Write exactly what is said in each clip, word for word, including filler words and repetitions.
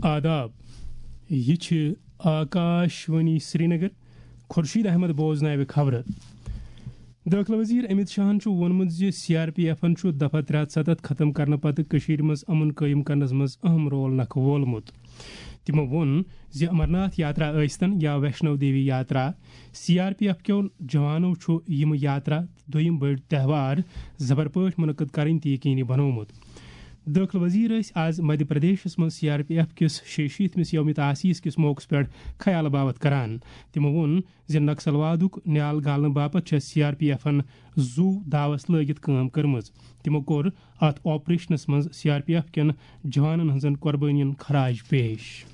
آداب، یہِ چھِ آکاش وانی سرینگر۔ خورشید احمد بوزناوِ خبرٕ۔ دٲخلہٕ وزیر امت شاہن چھُ ووٚنمُت زِ سی آر پی ایفن چھُ دفعہ ترٛےٚ ہتھ ستتھ ختم کرنہٕ پتہٕ کٔشیٖرِ منٛز امن قٲیِم کرنس منٛز اہم رول نکھٕ وولمُت۔ تِمو ووٚن زِ امرناتھ یاترا ٲسۍتن یا ویشنو دیوی یاترا، سی آر پی ایف کیو جوانو چھُ یِم یاترا دوٚیِم بٔڑۍ تہوار زبر پٲٹھۍ منعقد کرٕنۍ تہِ یقینی بنوومُت۔ دٲخلہٕ وزیر ٲسۍ آز مدھیہ پردیشس منٛز سی آر پی ایف کِس شیٚیہِ شیٖتمِس یومِ تاسیس کِس موقعس پٮ۪ٹھ خیال باوت کران۔ تِمو ووٚن زِ نکسلوادُک نیال گالنہٕ باپتھ چھےٚ سی آر پی ایفن زُو داوس لٲگِتھ کٲم کٔرمٕژ۔ تِمو کوٚر اتھ آپریشنس منٛز سی آر پی ایف کٮ۪ن جوانن ہٕنٛزن قۄربٲنین خراج پیش۔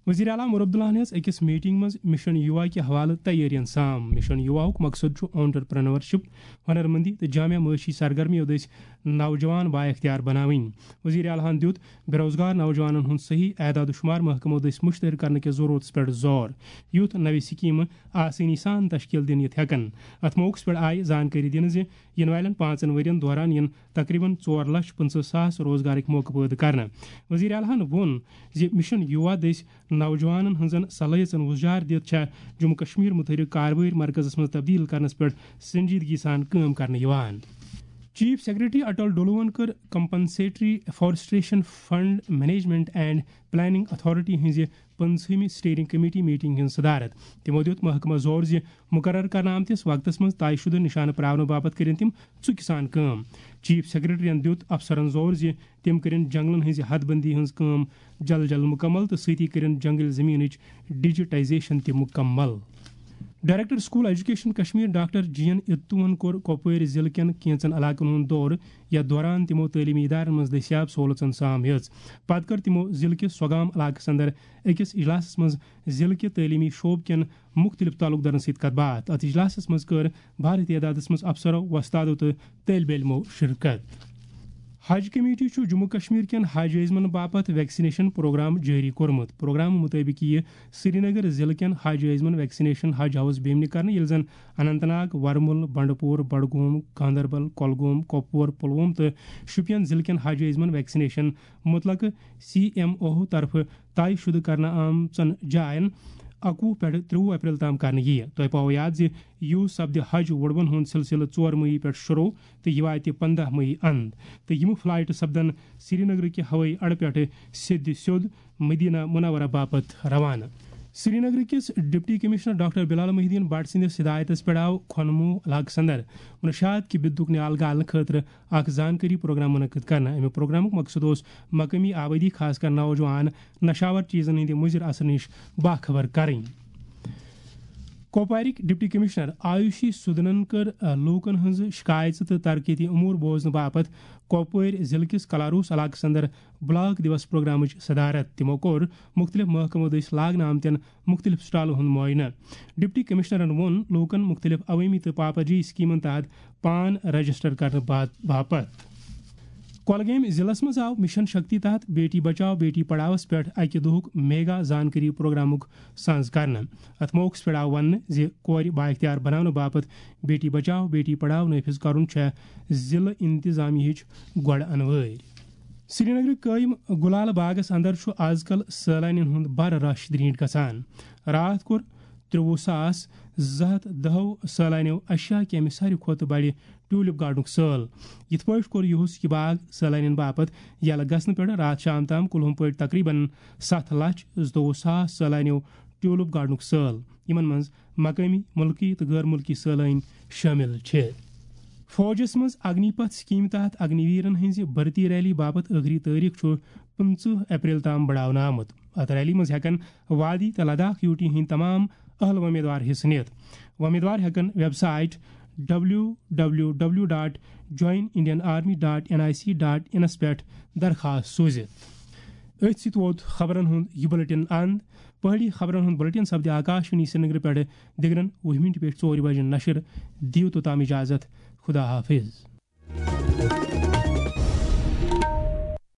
وزیر اعلیٰ عمر عبداللہ ہن ہیٚژ أکِس میٹنگ منٛز مشن یووا کہِ حوالہٕ تیٲرین سام۔ مشن یوواہُک مقصد چھُ entrepreneurship، ہنرمندی تہٕ جامع معاشی سرگرمیو دٔسۍ نوجوان بااختیار بناوٕنۍ۔ وزیر اعلیٰ ہن دیُت بے روزگار نوجوانن ہُنٛد صحیح اعداد و شمار محکمو دٔسۍ مشتہر کرنہٕ کِس ضرورتس پٮ۪ٹھ زور، یُتھ نوِ سکیمہٕ آسٲنی سان تشکیل دِنہٕ یِتھ ہٮ۪کن۔ اتھ موقعس پٮ۪ٹھ آیہِ زانکٲری دِنہٕ زِ یِنہٕ والٮ۪ن پانٛژن ؤرین دوران یِن تقریباً ژور لچھ پٕنٛژٕہ ساس روزگارٕکۍ موقعہٕ پٲدٕ کرنہٕ۔ وزیر اعلیٰ ہن ووٚن زِ مشن یووا دٔسۍ نوجوانن ہٕنٛزن صلٲحیژن وُزجار دِتھ چھےٚ جموں کشمیر متحرک کاربٲرۍ مرکزس منٛز تبدیل کرنس پٮ۪ٹھ سنجیدگی سان کٲم کرنہٕ یِوان۔ چیف سیکرٹری اٹل ڈولوہن کٔر Compensatory Afforestation Fund Management and Planning Authority ہٕنٛزِ پٕنٛژہمہِ اسٹیئرنگ کمیٹی میٹنگ ہٕنٛز صدارت۔ تِمو دیُت محکمس زور زِ مقرر کرنہٕ آمتِس وقتس منٛز طے شدٕ نشانہٕ پراونہٕ باپتھ کٔرِن تِم ژُکہِ سان کٲم۔ چیف سیکرٹریَن دیُت افسرن زور زِ تِم کٔرِن جنگلن ہٕنٛزِ حد بندی ہٕنٛز کٲم جلد جلد مکمل تہٕ سۭتی کٔرِن جنگل زمینٕچ ڈیجیٹائزیشن تہِ مکمل۔ Director school education Kashmir doctor G N اتوہن کوٚر کۄپوٲرۍ ضلعہٕ کٮ۪ن کینٛژن علاقن ہُنٛد دورٕ، یتھ دوران تِمو تعلیمی ادارن منٛز دٔستیاب سہولژن سام ہیٚژ۔ پتہٕ کٔر تِمو ضلعہٕ کِس سۄگام علاقس اندر أکِس اجلاسس منٛز ضلعہٕ کہِ تعلیمی شعبہٕ کٮ۪ن مُختٔلِف تعلقدارن سۭتۍ کتھ باتھ۔ اتھ اجلاسس منٛز کٔر بھاری تعدادس منٛز افسرو، وۄستادو تہٕ طٲلبہِ علمو شرکت۔ حج کمیٹی چھُ جموں کشمیر کٮ۪ن حج عٲزمن باپتھ ویکسینیشن پروگرام جٲری کوٚرمُت۔ پروگرام مُطٲبِق یِیہِ سرینگر ضلعہٕ کٮ۪ن حج عٲزمن ویکسینیشن حج ہاؤس بیمنہِ کرنہٕ، ییٚلہِ زن اننت ناگ، ورمُل، بنڈپور، بڈگوم، گاندربل، کۄلگوم، کۄپوور، پلووم تہٕ شوپین ضلعہٕ کٮ۪ن حج عٲزمن ویکسینیشن متعلقہٕ سی ایم او طرفہٕ طے شدٕ کرنہٕ آمژن جاین اکوُہ پٮ۪ٹھ ترٛوُہ اپریل تام کرنہٕ یِیہِ۔ تۄہہِ پاوو یاد زِ یوٗ سپدِ حج وُڈوَن ہُنٛد سلسلہٕ ژور مئی پٮ۪ٹھ شروع تہٕ یہِ واتہِ پنٛداہ مئی اند، تہٕ یِم فلائٹ سپدن سرینگرٕ کہِ ہوٲیی اڈٕ پٮ۪ٹھٕ سیٚدِ سیوٚد مدینہ منورہ باپتھ روانہٕ۔ سرینگرٕ کِس ڈپٹی کمشنر ڈاکٹر بلال محی الدین بٹ سٕنٛدِس ہدایتس پٮ۪ٹھ آو کھۄنموٗ علاقس اندر منشیات کہِ بدُک نیال گالنہٕ خٲطرٕ اکھ زانکٲری پروگرام منعقد کرنہٕ۔ اَمہِ پروگرامُک مقصد اوس مقٲمی آبٲدی، خاص کر نوجوان، نشاور چیزن ہٕنٛدِ مُضِر اثرٕ نِش باخبر کرٕنۍ۔ کۄپوارٕکۍ ڈپٹی کمشنر آیوشی سودنن کٔر، آ، لوٗکن ہٕنٛز شکایژٕ تہٕ ترقیتی امور بوزنہٕ باپتھ کۄپوٲرۍ ضلعہٕ کِس کلاروس علاقس اندر بلاک دیوس پروگرامٕچ صدارت۔ تِمو کوٚر مُختٔلِف محکمو دٔسۍ لاگنہٕ آمتٮ۪ن مُختٔلِف سٹالن ہُنٛد معائنہٕ۔ ڈپٹی کمشنرن ووٚن لوٗکن مُختٔلِف عوٲمی تہٕ پاپرجی سکیمن تحت پان رجسٹر کرنہٕ با-، باپتھ۔ کۄلگٲمۍ ضلعس منٛز آو مشن شکتی تحت بیٹی بچاو بیٹی پڑھاوس پٮ۪ٹھ اکہِ دۄہُک میگا زانکٲری پروگرامُک سانز کرنہٕ۔ اتھ موقعس پٮ۪ٹھ آو وننہٕ زِ کورِ بااختیار بناونہٕ باپتھ بیٹی بچاو بیٹی پڑھاو نافذ کرُن چھےٚ ضلعہٕ انتظامیہٕچ گۄڈٕ انوٲرۍ۔ سرینگرٕ قٲیِم گُلال باغس اندر چھُ آز کل سٲلانین ہُنٛد بڑٕ رش درینٹ گژھان۔ راتھ کوٚر ترٛوٚوُہ ساس زٕ ہتھ دَہو سٲلانیو ایشیا کہِ امہِ ساروی کھۄتہٕ بڑِ ٹیولپ گارڈنُک سٲل۔ یِتھ پٲٹھۍ کوٚر یُہُس یہِ باغ سٲلانین باپتھ یلہٕ گژھنہٕ پٮ۪ٹھ راتھ شام تام کُلہُم پٲٹھۍ تقریباً ستھ لچھ زٕتووُہ ساس سٲلانیو ٹیولپ گارڈنُک سٲل، یِمن منٛز مقٲمی، مُلکی تہٕ غٲر مُلکی سٲلٲنۍ شٲمِل چھِ۔ فوجس منٛز اگنی پتھ سکیمہِ تحت اگنی ویرن ہٕنٛزِ بھرتی ریلی باپتھ ٲخری تٲریخ چھُ پٕنٛژٕہ اپریل تام بڑاونہٕ آمُت۔ اتھ ریلی منٛز ہٮ۪کن وادی تہٕ لداخ یوٗ ٹی ہٕنٛدۍ تمام اہل وۄمیدوار حصہٕ نِتھ۔ وۄمیدوار ہٮ۪کن website W W W dot join Indian army dot N I C dot in پٮ۪ٹھ درخواست سوٗزِتھ۔ أتھۍ سۭتۍ ووت خبرن ہُنٛد یہِ بلیٹن اند۔ پہٲڑی خبرن ہُنٛد بلیٹن سپدِ آکاشوانی سرینگرٕ پٮ۪ٹھٕ دِگرن وُہہِ مِنٹہِ پٮ۪ٹھ ژورِ بجہِ نشر۔ دِیِو توٚتام اجازت۔ خدا حافظ۔